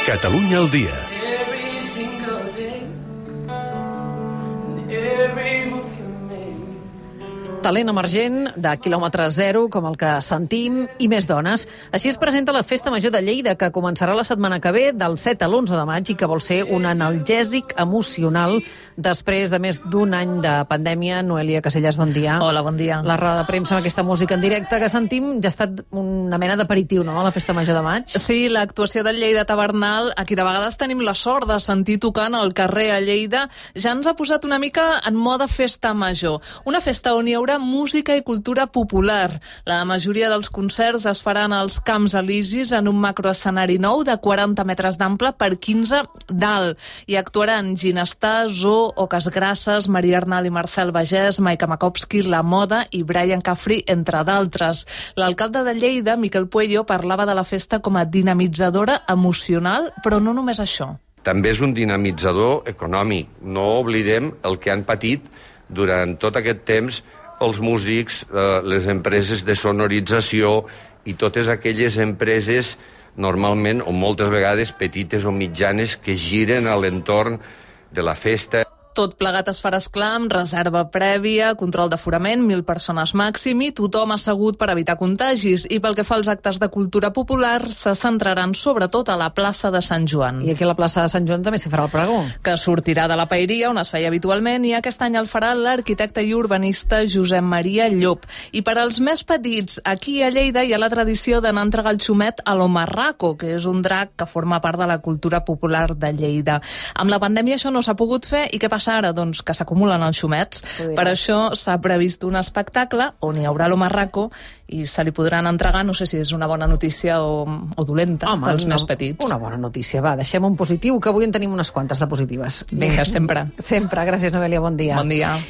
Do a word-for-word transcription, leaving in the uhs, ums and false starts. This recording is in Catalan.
Catalunya al dia. Talent emergent de quilòmetre zero, com el que sentim, i més dones. Així es presenta la Festa Major de Lleida, que començarà la setmana que ve, del set a l'onze de maig, i que vol ser un analgèsic emocional després de més d'un any de pandèmia. Noelia Casellas, bon dia. Hola, bon dia. La roda de premsa amb aquesta música en directe que sentim ja ha estat una mena d'aperitiu, no?, a la Festa Major de maig. Sí, l'actuació del Lleida Tavernal, a qui de vegades tenim la sort de sentir tocant al carrer a Lleida, ja ens ha posat una mica en mode festa major. Una festa on hi haurà música i cultura popular. La majoria dels concerts es faran als Camps Elisis en un macroescenari nou de quaranta metres d'ample per quinze d'alt. Hi actuaran Ginestar, Zoo, Oques Grasses, Maria Arnal i Marcel Bagès, Maika Makowski, La Moda i Brian Cafri, entre d'altres. L'alcalde de Lleida, Miquel Puello, parlava de la festa com a dinamitzadora emocional, però no només això. També és un dinamitzador econòmic. No oblidem el que han patit durant tot aquest temps els músics, eh, les empreses de sonorització i totes aquelles empreses, normalment, o moltes vegades, petites o mitjanes, que giren a l'entorn de la festa. Tot plegat es farà esclar amb reserva prèvia, control d'aforament, mil persones màxim i tothom assegut per evitar contagis. I pel que fa als actes de cultura popular, se centraran sobretot a la plaça de Sant Joan. I aquí a la plaça de Sant Joan també s'hi farà el pregó. Que sortirà de la paeria, on es feia habitualment, i aquest any el farà l'arquitecte i urbanista Josep Maria Llop. I per als més petits, aquí a Lleida hi ha la tradició d'anar a entregar el xumet a l'Omarraco, que és un drac que forma part de la cultura popular de Lleida. Amb la pandèmia això no s'ha pogut fer, i què passa ara? Doncs que s'acumulen els xumets. Per això s'ha previst un espectacle on hi haurà l'Omarraco i se li podran entregar, no sé si és una bona notícia o, o dolenta. Home, pels no, més petits. Una bona notícia, va, deixem un positiu, que avui en tenim unes quantes de positives. Vinga, sempre. Sempre, gràcies Noelia, bon dia. Bon dia.